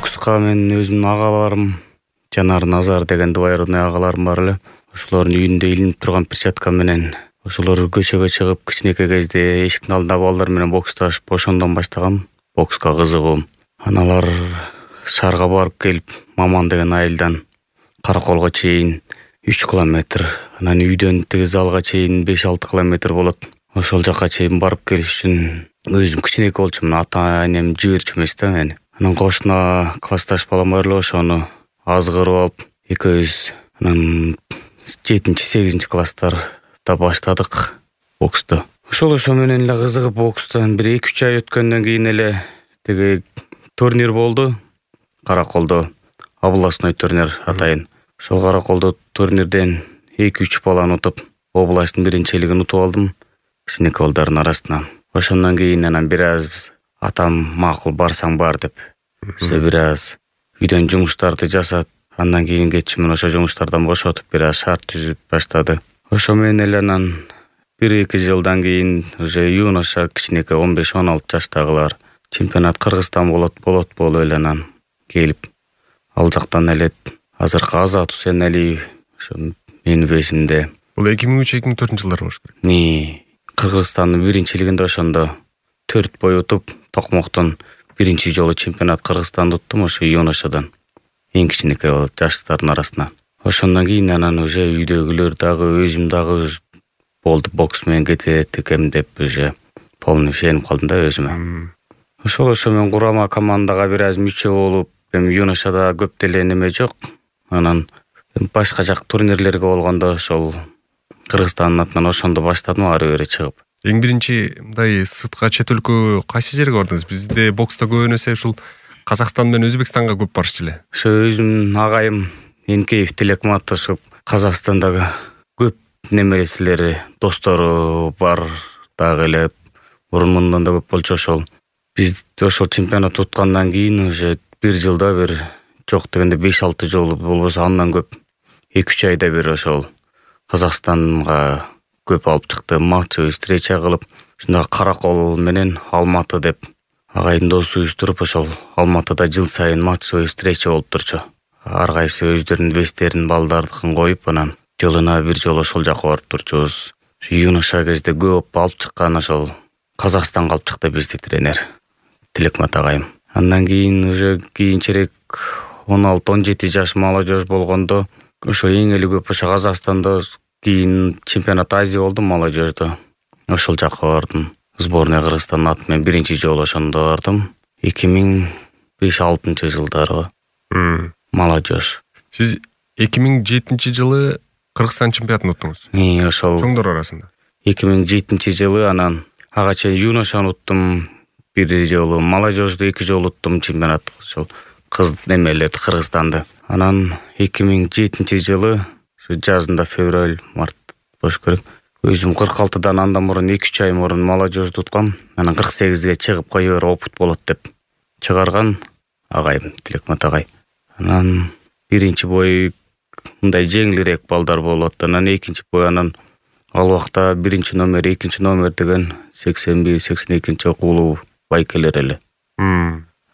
Бокска мен өзүмдүн агаларым Жанар, Назар деген двоюродный агаларым бар эле. Ошолордун үйүндө илинип турган перчатка менен ошолор көчөгө чыгып кичинекей кезде эшиктин алдында балдар менен боксташып ошондон баштагам бокска кызыгуум. Аналар шаарга барып келип, Маман деген айылдан Караколго чейин 3 километр, анан үйдөн тиги залга чейин 5-6 километр болот. Ошол жака чейин барып келиш үчүн өзүм кичинекей болчумун, ата-энем жиберчү эмес да мени. Анан кошуна классташ балам бар эле, ошону азгырып алып экөөбүз анан 7-8 класстарда баштадык боксту. Ошо менен эле кызыгып бокстон бир 2-3 ай өткөндөн кийин эле тиги турнир болду. Караколдо областной турнир атайын. Ошол Караколдо турнирден 2-3 баланы утуп, областтын биринчилигин утуп алдым кичинекей балдардын арасынан. Ошондон кийин анан бир аз атам макул барсаң бар деп, бир аз үйдөн жумуштарды жасап, андан кийин кетчүмүн ошо жумуштардан бошотуп бир аз шарт түзүп баштады. Ошо менен эле анан 1-2 жылдан кийин уже юноша кичинекей 15-16 жаштагылар чемпионат Кыргызстан болот болуп эле келип, ал жактан эле азыркы Азат Усеналиев ошо менин весимде. Бул 2003-2004 жылдар болуш керек. Кыргызстандын биринчилигинде ошондо 4 бой утуп, Токмоктон биринчи жолу чемпионат Кыргызстанды уттум ошо юношадан. Эң кичинекей жаштардын арасынан. Ошондон кийин анан уже үйдөгүлөр дагы, өзүм дагы болду бокс менен кетет экем деп уже полный ишенип калдым да өзүмө. Ошо мен курама командага бир аз мүчө болуп, эми юношада көп деле неме жок. Анан башка жак турнирлерге болгондо ошол Кыргызстандын атынан ошондо баштадым ары бери чыгып. Эң биринчи мындай сыртка чет өлкө кайсы жерге бардыңыз? Бизде бокста көбүн эсе ушул Казакстан менен Өзбекстанга көп барчу эле. Ошо өзүмдүн агайым Энкеев Тилекмат ошо Казакстандагы көп немересилери, достору бар дагы эле, мурундан да көп болчу. Ошол биз ошол чемпионат уткандан кийин уже бир жылда бир жок дегенде 5-6 жолу болбосо андан көп 2-3 айда бир ошол Казакстанга көп алып чыкты, матчы встреча кылып, ушундагы Каракол менен Алматы деп агайдын досу уюштуруп, ошол Алматыда жыл сайын матчы встреча болуп турчу. Ар кайсы өздөрүнүн вестерин балдардыкын коюп, анан жылына бир жолу ошол жака барып турчубуз. Юноша кезде көп алып чыккан ошол Казакстанга алып чыкты бизди тренер Тилекмат агайым. Андан кийин уже кийинчерээк 16-17 жаш молодежь болгондо ошол эң эле көп ошо Казакстанда кийин чемпионат Азия болду молодежьдо. Ошол жака бардым. Сборная Кыргызстандын аты менен биринчи жолу ошондо бардым. 2005-2006 жылдары молодежь. Сиз 2007 жылы Кыргызстан чемпионатын уттуңуз. Ошол чоңдор арасында. 2007 жылы анан ага чейин юношаны уттум бир жолу, молодежьду 2 жолу уттум чемпионат ошол кыз немелерди Кыргызстанды. Анан 2007 жылы жазында февраль-март болуш керек. Өзүм 46-дан андан мурун 2-3 ай мурун молодежьду уткам. Анан 48-ге чыгып кое бер опыт болот деп чыгарган агайым Тилекмат агай. Анан биринчи бой мындай жеңилирээк балдар болот. Анан экинчи бой анан ал убакта биринчи номер, экинчи номер деген 81-82 кулуу байкелер эле.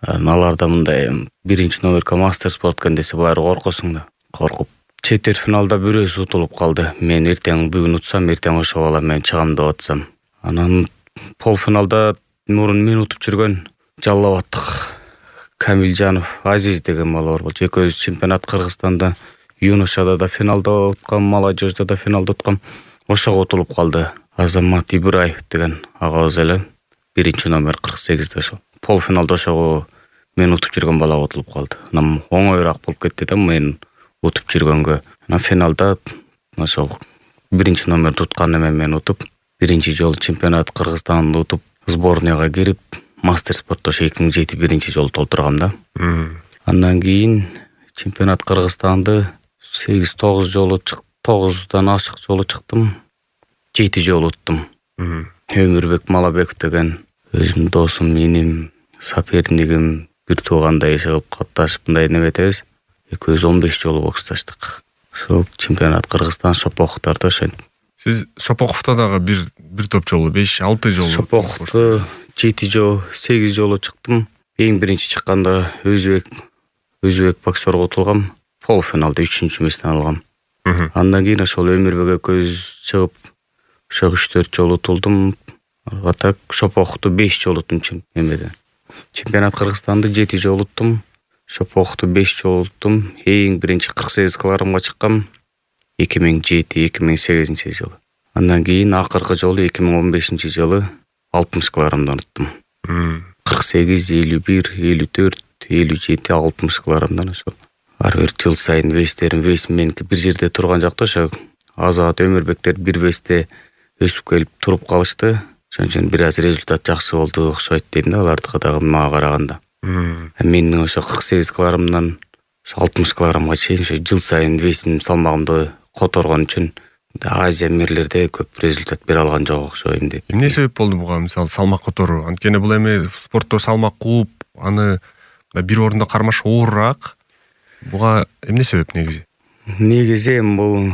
Аларда мындай биринчи номерге мастер спорт десе баары коркосуң да. Коркуп четверть финалда бирөөсү утулуп калды. Мен эртең бүгүн утсам, эртең ошо бала мен чыгам деп атсам. Анан полуфиналда мурун мен утуп жүргөн Жаллабаттык Камилжанов Азиз деген бала бар болчу. Экөөбүз чемпионат Кыргызстанда юношада да финалда уткам, молодежьда да финалда уткам. Ошого утулуп калды. Азамат Ибраев деген агабыз эле биринчи номер 48-де ошол. Полуфиналда ошого мен утуп жүргөн бала утулуп калды. Анан оңоюраак болуп кетти да мен утуп жүргөнгө. Анан финалда ошол биринчи номерди уткан мен утуп, биринчи жолу чемпионат Кыргызстанды утуп, сборныйга кирип, мастер спортто 2007 биринчи жолу толтургам да. Андан кийин чемпионат Кыргызстанды 8-9 жолу 9дан ашык жолу чыктым. 7 жолу уттум. Өмүрбек Малабеков деген өзүмдүн досум, иним, сопернигим, бир туугандай чыгып катташып мындай неметебиз. Экөөбүз 15 жолу боксташтык. Ошол чемпионат Кыргызстан Шопоковдордо ошентип. Сиз Шопоковдо дагы бир топ жолу 5-6 жолу. Шопоковдо 7 жолу, 8 жолу чыктым. Эң биринчи чыкканда Өзбек өзбек боксерго утулгам, полуфиналда 3-чү месттен алгам. Андан кийин ошол Өмүрбек экөөбүз чыгып, ошо 3-4 жолу утулдум. А так Шопохту 5 жолу уттум чемпионат Кыргызстанды 7 жолу уттум. Шопохту 5 жолу уттум. Эң биринчи 48 килограммга чыккам 2007-2008 жылы. Андан кийин акыркы жолу 2015 жылы 60 килограммдан уттум. 48, 51, 54, 57, 60 килограммдан ошол. Ар бир жыл сайын вес меники бир жерде турган жок да, ошо Азат, Өмүрбектер бир весте өсүп келип туруп калышты. Ошон үчүн бир аз результат жакшы болду окшойт дейм да, алардыкы дагы мага караганда. Менин ошо 48 килограммдан 60 килограммга чейин ошо жыл сайын весим салмагымды которгон үчүн Азия мирлерде көп результат бере алган жок окшойм деп. Эмне себеп болду буга, мисалы салмак которуу? Анткени бул эми спортто салмак кууп, аны бир орунда кармаш оорураак. Буга эмне себеп негизи? Негизи бул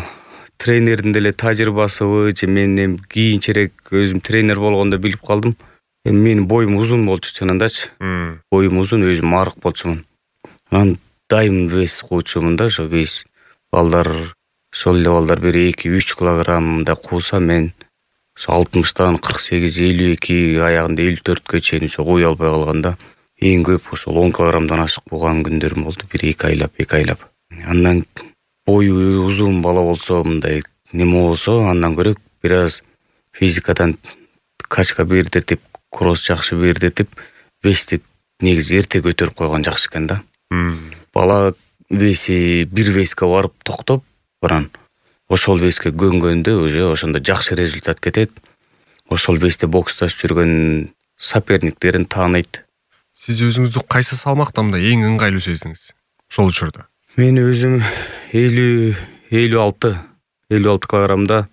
тренердин деле тажрыйбасыбы же мен кийинчерээк өзүм тренер болгондо билип калдым. Менин боюм узун болчу чынындачы. Боюм узун, өзүм арык болчумун. Анан дайым вес куучумун да, ошо вес. Ошол эле балдар бир 2-3 килограммда кууса, мен ошо 60-тан 48, 52, аягында 54-кө чейин ошо кууя албай калганда, эң көп ошол 10 килограммдан ашык болгон күндөрүм болду, бир 2 айлап. Андан бою узун бала болсо, мындай неме болсо, андан көрө бир аз физикадан качка бердиртип, кросс жакшы бердиртип, вести негизи эрте көтөрүп койгон жакшы экен да. Бала веси бир веске барып токтоп, анан ошол веске көнгөндө уже ошондо жакшы результат кетет. Ошол весте боксташып жүргөн соперниктерин тааныйт. Сиз өзүңүздү кайсы салмакта мындай эң ыңгайлуу сездиңиз ошол учурда? Мен өзүм 56 килограммда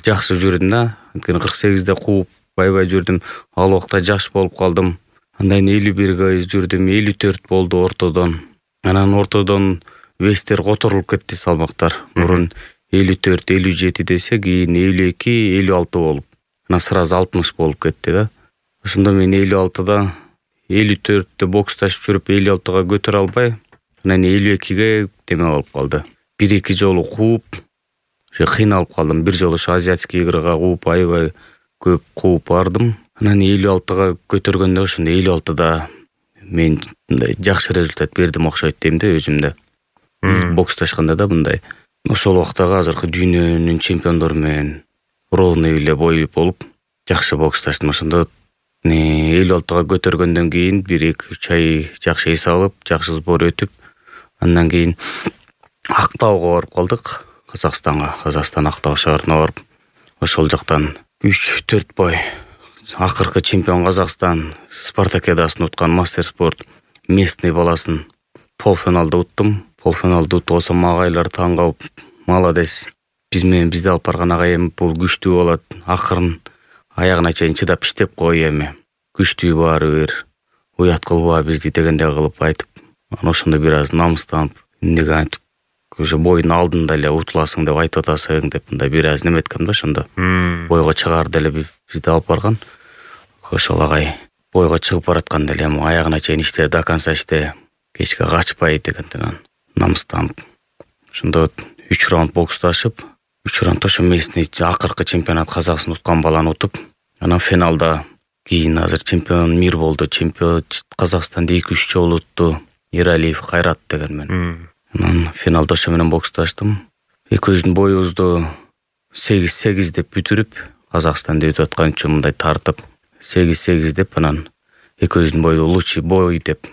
жакшы жүрдүм да. Анткени 48-де кууп байбай жүрдүм. Ал убакта жаш болуп калдым. Андан 51ге жүрдүм, 54 болду ортодон. Анан ортодон вестер которулуп кетти салмактар. Мурун 54, 57 десе, кийин 52, 56 болуп. Анан сразу 60 болуп кетти да. Ошондо мен 56да 54-тө боксташып жүрүп 56-га көтөрө албай, анан 52ге деме болуп калды. 1-2 жолу кууп, ошо кыйналып калдым. Бир жолу ошо азиатский играга кууп, аябай көп кууп бардым. Анан 56-га көтөргөндө ошондо 56да мен мындай жакшы результат бердим окшойт дейм да өзүмдө. Боксташканда да мындай. Ошол убактагы азыркы дүйнөнүн чемпиондору менен ровный эле бой болуп, жакшы боксташтым. Ошондо 56-га көтөргөндөн кийин 1-2-3 ай жакшы эс алып, жакшы сбор өтүп, андан кийин Актауга барып калдык, Казакстан Актау шаарына барып, ошол жактан 3-4 бой акыркы чемпион Казакстан спартакиадасын уткан мастер спорт местный баласын полуфиналда уттум. Полуфиналда утуп алсам, агайлар таң калып, молодец. Бизди алып барган агайым бул күчтүү болот. Акырын аягына чейин чыдап иштеп кой эми. Күчтүү баары бир. Уят кылба бизди дегендей кылып айтып. Анан ошондо бир аз намыстанып, эмнеге айтып, уже бойдун алдында эле утуласың деп айтып атасың деп мындай бир аз неметкем да ошондо. Бойго чыгар деле бизди алып барган. Ошол агай бойго чыгып баратканда эле аягына чейин иште, до конца иште, кечке качпай дегенден намыстанып. Ошондо 3 раунд боксташып, 3 раундда ошо местный акыркы чемпионат Казакстан уткан баланы утуп, анан финалда кийин азыр чемпион мир болду. Чемпион Казакстанды 2-3 жолу утту. Иралиев Кайрат деген мен. Анан финалда ошо менен боксташтым. Экөөбүздүн боюбузду 8-8 деп бүтүрүп, Казакстанды өтүп аткан үчүн мындай тартып 8-8 деп, анан экөөбүздүн бойду лучший бой деп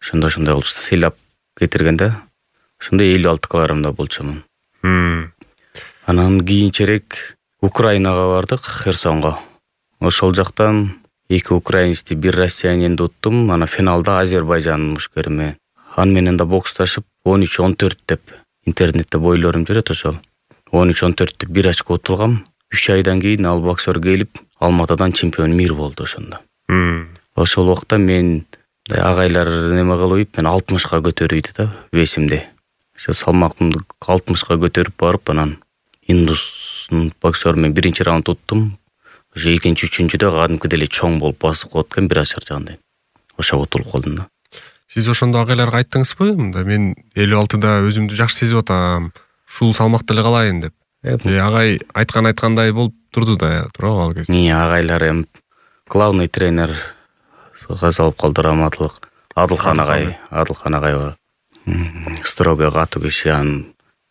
ошондой кылып сыйлап кетиргенде, ошондо 56 килограммда болчумун. Анан кийинчерээк Украинага бардык, Херсонго. Ошол жактан 2 украинецти, 1 россиянинди уттум. Анан финалда Азербайжандын мушкери менен. Аны менен да боксташып 13-14 деп интернетте бойлорум жүрөт ошол. 13-14 деп 1 очко утулгам. 3 айдан кийин ал боксер келип, Алматадан чемпион мир болду ошондо. Ошол убакта мен агайлар неме кылып, мен 60га көтөрүйдү да весимди. Ошо салмагымды 60га көтөрүп барып, анан индустун боксеру менен биринчи раунд уттум. Ошо экинчи, үчүнчүдө кадимкидей эле чоң болуп басып коет экен, бир аз чарчагандай. Ошого утулуп калдым да. Сиз ошондо агайларга айттыңызбы? Мында мен 56да өзүмдү жакшы сезип атам. Ушул салмакта эле калайын деп. Агай айткандай болуп турду да, туурабы ал кезде? Агайлар эми главный тренер салып калды, раматтылык Адылхан агай бар. Строго катуу киши, анын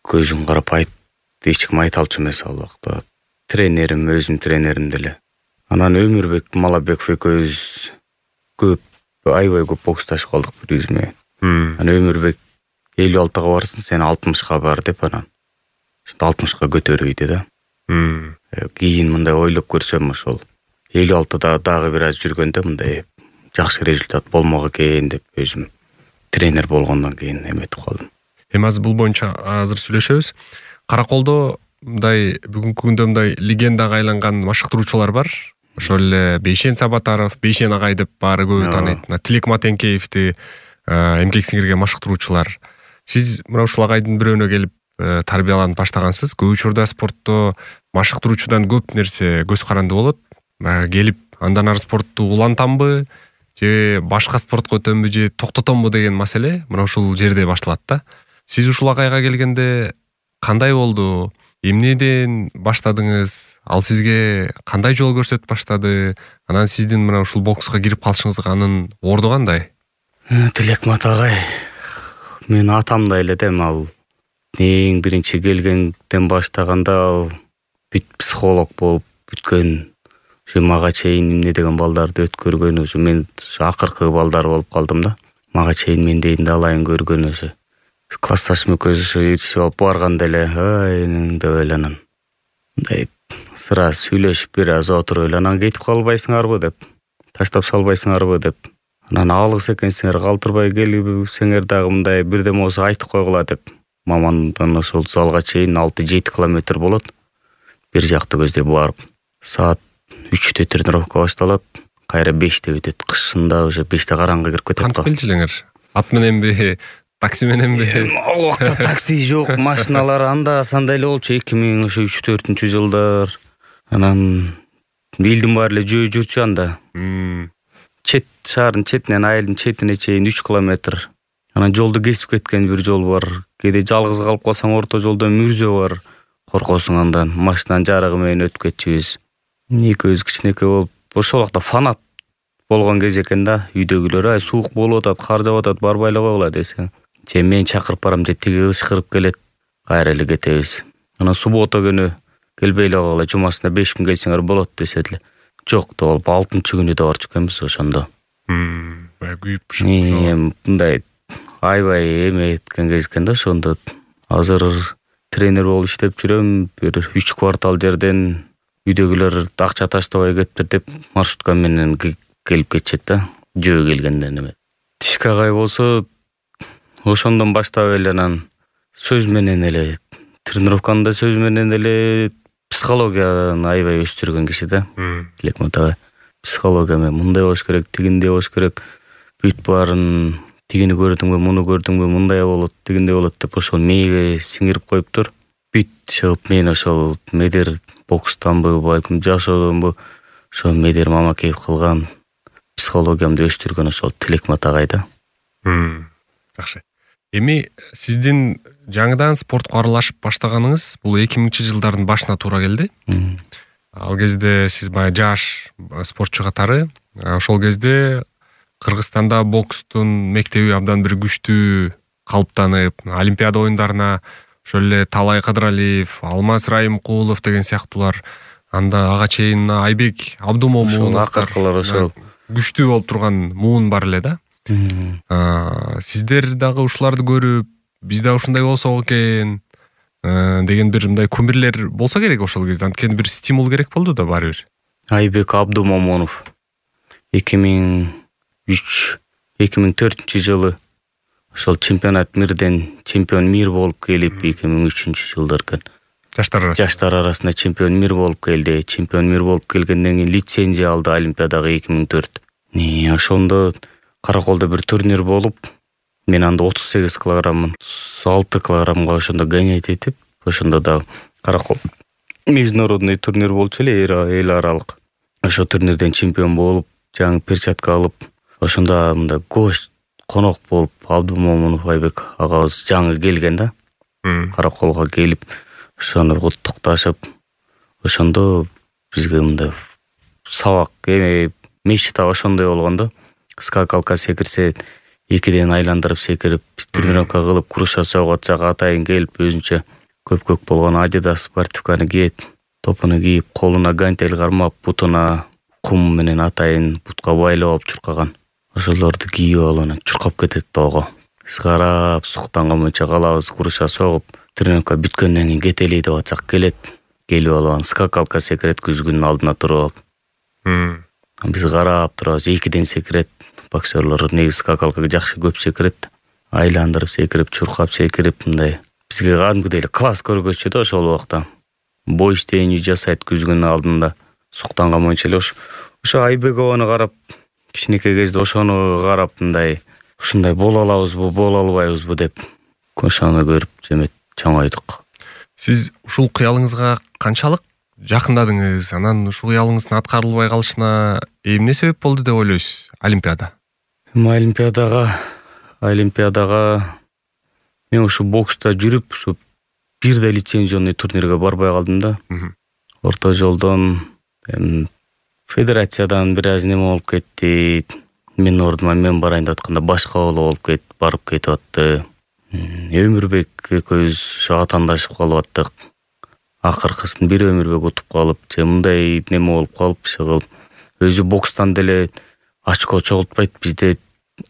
көзүн карап эч ким айта алчу эмес ал убакта. Тренерим, өзүм тренерим деле. Анан Өмүрбек Малабеков экөөбүз аябай көп боксташып калдык бири-бириз менен. Анан Өмүрбек 56-га барсың, сен 60-га бар деп, анан 60-га көтөрбөйдү да. Кийин мындай ойлоп көрсөм, ошол 56-да дагы бир аз жүргөндө мындай жакшы результат болмок экен деп өзүм тренер болгондон кийин эметип калдым. Эми азыр бул боюнча азыр сүйлөшөбүз. Караколдо мындай бүгүнкү күндө мындай легендага айланган машыктыруучулар бар. Ошол эле Бейшен Сабатаров, Бейшен агай деп баары көбү тааныйт. Тилек Матенкеевди эмгек сиңирген машыктыруучулар. Сиз мына ушул агайдын бирөөнө келип тарбияланып баштагансыз. Көп учурда спортто машыктыруучудан көп нерсе көз каранды болот. Келип андан ары спортту улантамбы же башка спортко өтөмбү же токтотомбу деген маселе мына ушул жерде башталат да. Сиз ушул агайга келгенде кандай болду? Эмнеден баштадыңыз? Ал сизге кандай жол көрсөтүп баштады? Анан сиздин мына ушул бокска кирип калышыңызга анын орду кандай? Тилекмат агай мен атамдай эле дем. Ал эң биринчи келгенден баштаганда ал бүт психолог болуп бүткөн, ушу мага чейин эмне деген балдарды өткөргөн, ушу мен акыркы балдар болуп калдым да. Мага чейин мендейин да алайын көргөн, ушу классташым экөөбүз ушу ээрчип алып барганда эле деп эле анан мындай сыра сүйлөшүп бир аз отуруп эле анан кетип калбайсыңарбы деп, таштап салбайсыңарбы деп, анан алыс экенсиңер калтырбай келсеңер дагы мындай бирдеме болсо айтып койгула деп. Мамандан ошол залга чейин 6-7 километр болот. Бир жакты көздөй барып, саат 3-тө тренировка башталат, кайра 5-те бүтөт. Кышында уже 5-те караңгы кирип кетет. Кантип келчү элеңер? Ат мененби, такси мененби? Ал убакта такси жок, машиналар анда сандай эле болчу 2003-4 жылдар. Анан элдин баары эле жөө жүрчү анда. Чет шаардын четинен айылдын четине чейин 3 километр. Анан жолду кесип кеткен бир жол бар. Кээде жалгыз калып калсаң орто жолдо мүрзө бар. Коркосуң андан. Машинанын жарыгы менен өтүп кетчүбүз. Экөөбүз кичинекей болуп, ошол убакта фанат болгон кез экен да. Үйдөгүлөр ай суук болуп атат, кар жаап атат, барбай эле койгула десең. Же мен чакырып барам, же тиги ышкырып келет. Кайра эле кетебиз. Анан суббота күнү келбей эле койгула, жумасына 5 күн келсеңер болот десет эле. Жок деп алып 6-күнү да барчу экенбиз ошондо. Күйүп мындай аябай эметкен кез экен да ошондо. Азыр тренер болуп иштеп жүрөм. Бир 3 квартал жерден үйдөгүлөр акча таштабай кетиптир деп маршрутка менен келип кетишет да. Жөө келгенден эме. Тишке агай болсо ошондон баштап эле анан сөз менен эле тренировканы да сөз менен эле психологияны аябай өстүргөн киши да. Тилекмат агай психология менен мындай болуш керек, тигиндей болуш керек. Бүт баарын тигини көрдүңбү, муну көрдүңбү, мындай болот, тигиндей болот деп ошол мээге сиңирип коюптур. Бүт чыгып мен ошол Медер бокстанбы, балким жашоодонбу ошо Медер Мамакеев кылган психологиямды өстүргөн ошол Тилекмат агай да. Жакшы. Эми сиздин жаңыдан спортко аралашып баштаганыңыз бул 2000-жылдардын башына туура келди. Ал кезде сиз бая жаш спортчу катары, ошол кезде Кыргызстанда бокстун мектеби абдан бир күчтүү калыптанып, Олимпиада оюндарына ошол эле Талай Кыдыралиев, Алмаз Райымкулов деген сыяктуулар, анда ага чейин Айбек Абдумомун акыркылар ошол күчтүү болуп турган муун бар эле да. Сиздер дагы ушуларды көрүп, биз да ушундай болсок экен деген бир мындай күмүрлөр болсо керек ошол кезде. Анткени бир стимул керек болду да баары бир. Айбек Абдумомунов 2004 жылы ошол чемпионат мирден чемпион мир болуп келип 2003 жылдар экен. Жаштар арасында чемпион мир болуп келди. Чемпион мир болуп келгенден кийин лицензия алды Олимпиадага 2004. Ошондо Караколдо бир турнир болуп, мен анда 38 килограммын, 6 килограммга ошондо гонять этип, ошондо да Каракол международный турнир болчу эле, эл аралык. Ошо турнирден чемпион болуп, жаңы перчатка алып, ошондо мындай конок болуп Абдумомунов Айбек агабыз жаңы келген да. Караколго келип, ошону куттукташып, ошондо бизге мындай сабак мечта ошондой болгон да. Скакалка секирсе 2ден айландырып секирип, тренировка кылып, круша согот жага атайын келип, өзүнчө көпкөк болгон Adidas спортивканы кийет, топуну кийип, колуна гантель кармап, бутуна кум менен атайын бутка байлап алып чуркаган. Ошолорду кийип алып чуркап кетет тоого. Биз карап, суктанган боюнча калабыз, круша согуп, тренировка бүткөндөн кийин кетели деп атсак келет. Келип алып скакалка секирет күзгүнүн алдына туруп алып. Биз карап турабыз, 2ден секирет. Боксерлор негизи скакалкага жакшы көп секирет. Айландырып секирип, чуркап секирип, мындай бизге кадимкидей эле класс көргөзчү да ошол убакта. Бой иштейни жасайт күзгүнүн алдында. Суктанган боюнча эле ошо Айбекованы карап, кичинекей кезде ошону карап мындай ушундай боло алабызбы, боло албайбызбы деп ошону көрүп жемет чоңойдук. Сиз ушул кыялыңызга канчалык жакындадыңыз? Анан ушул кыялыңыздын аткарылбай калышына эмне себеп болду деп ойлойсуз? Олимпиада. Олимпиадага мен ушу бокста жүрүп, ушу бирде лицензионный турнирге барбай калдым да. Орто жолдон федерациядан бир аз неме болуп кетти. Мен ордума мен барайын деп атканда башка болуп барып кетип атты. Өмүрбек экөөбүз ошо атаандашып калып аттык. Акыркысын бир Өмүрбек утуп калып, же мындай неме болуп калып, кылып өзү бокстан деле очко чогултпайт. Бизде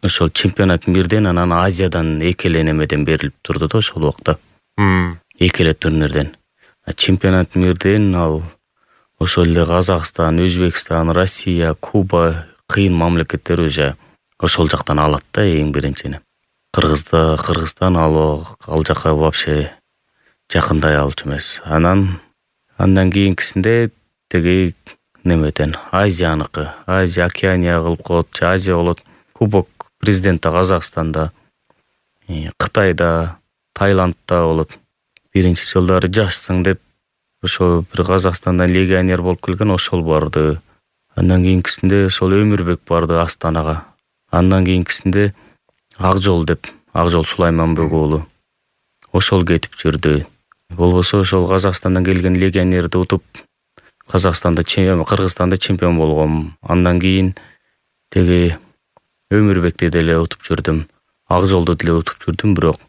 ошол чемпионат бирден, анан Азиядан экеле немеден берилип турду да ошол убакта. Экеле турнирден. Чемпионат бирден ал ошол эле Казакстан, Өзбекстан, Россия, Куба кыйын мамлекеттер уже ошол жактан алат да эң биринчини. Кыргызстан ал жака вообще жакындай алчу эмес. Андан кийинкисинде теги немеден Азияныкы, Азия Океания кылып коет, Азия болот. Кубок президенти Казакстанда, Кытайда, Таиландда болот. Биринчи жылдары жашсың деп ошо бир Казакстандан легионер болуп келген, ошол барды. Андан кийинкисинде ошол Өмүрбек барды Астанага. Андан кийинкисинде Акжол деп, Акжол Сулайманбек уулу. Ошол кетип жүрдү. Болбосо ошол Казакстандан келген легионерди утуп, Кыргызстанда чемпион болгом. Андан кийин теги Өмүрбекти деле утуп жүрдүм. Акжолду деле утуп жүрдүм, бирок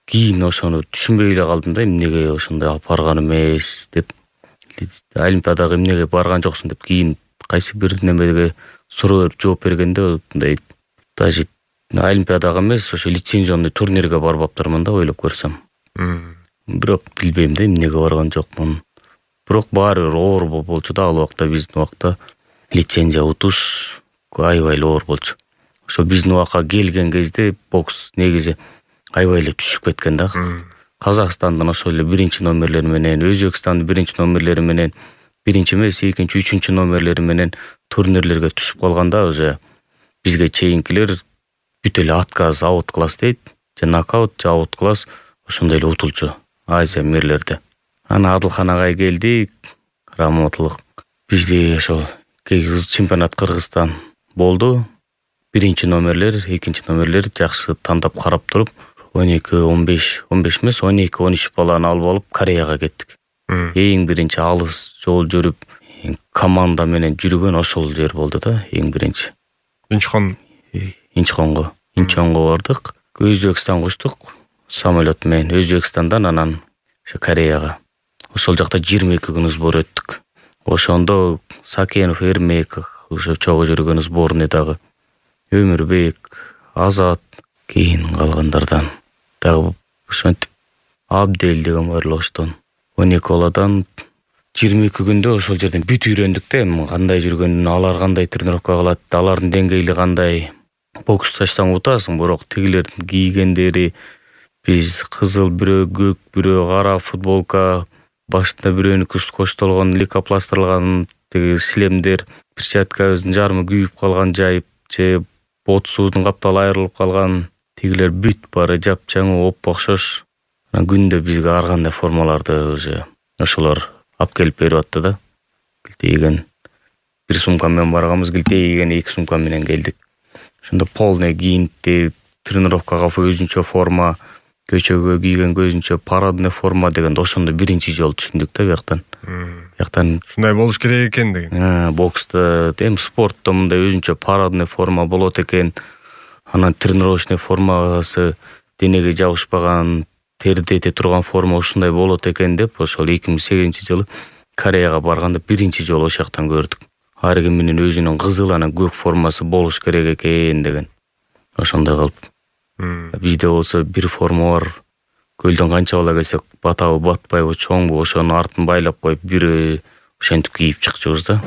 кийин ошону түшүнбөй эле калдым да, эмнеге ошондой алып барган эмес деп. Олимпиадага эмнеге барган жоксуң деп кийин кайсы бир немеге суроо берип жооп бергенде мындай даже Олимпиадага эмес, ошо лицензионный турнирге барбаптырмын да ойлоп көрсөм. Бирок билбейм да эмнеге барган жокмун. Бирок баары бир оор болчу да, ал убакта биздин убакта лицензия утуш аябай эле оор болчу. Ошо биздин убакка келген кезде бокс негизи аябай эле түшүп кеткен да. Казакстандын ошол эле биринчи номерлери менен, Өзбекстандын биринчи номерлери менен, биринчи эмес, экинчи, үчүнчү номерлери менен турнирлерге түшүп калганда уже бизге чейинкилер бүт эле отказ, аут класс дейт, же нокаут, же аут класс ошондой эле утулчу Азия мирлерде. Ана Адылхан агай келди, раматылык. Бизде ошол чемпионат Кыргызстан болду. Биринчи номерлер, экинчи номерлер жакшы тандап карап туруп, 12-15 эмес, 12-13 баланы алып алып Кореяга кеттик. Эң биринчи алыс жол жүрүп, команда менен жүргөн ошол жер болду да, эң биринчи. Инчонго бардык. Өзбекстанга учтук самолет менен, Өзбекстандан анан ошо Кореяга. Ошол жакта 22 күн сбор өттүк. Ошондо Сакенов, Эрмек, ошо чогуу жүргөн сборныйдагы Өмүрбек, Азат, кийин калгандардан дагы ошентип Абдел деген бар эле оштон. 12 баладан 22 күндө ошол жерден бүт үйрөндүк да, кандай жүргөнүн, алар кандай тренировка кылат, алардын деңгээли кандай. Боксташсаң утасың, бирок тигилердин кийгендери биз кызыл, бирөө көк, бирөө кара футболка, башында бирөөнүкү коштолгон, лейкопластырылган тиги шлемдер, перчаткабыздын жарымы күйүп калган жайып, же бот суудун капталы айрылып калган. Тигилер бүт баары жапжаңы, оп-окшош. Күндө бизге ар кандай формаларды уже ошолор алып келип берип атты да. Килтейген бир сумка менен барганбыз, килтейген 2 сумка менен келдик. Ошондо полный кийинти, тренировкага өзүнчө форма, көчөгө кийгенге өзүнчө парадный форма дегенди ошондо биринчи жолу түшүндүк да бияктан. Ушундай болуш керек экен деген. Бокста, спортто мындай өзүнчө парадный форма болот экен. Анан тренировочный формасы денеге жабышпаган, терди эте турган форма ушундай болот экен деп ошол 2008-жылы Кореяга барганда биринчи жолу ошол жактан көрдүк. Ар кимдин өзүнүн кызыл анан көк формасы болуш керек экен деген. Ошондой кылып. Бизде болсо бир форма бар. Көлдөн канча бала келсе батабы, батпайбы, чоңбу ошонун артын байлап коюп, бири ошентип кийип чыкчубуз да.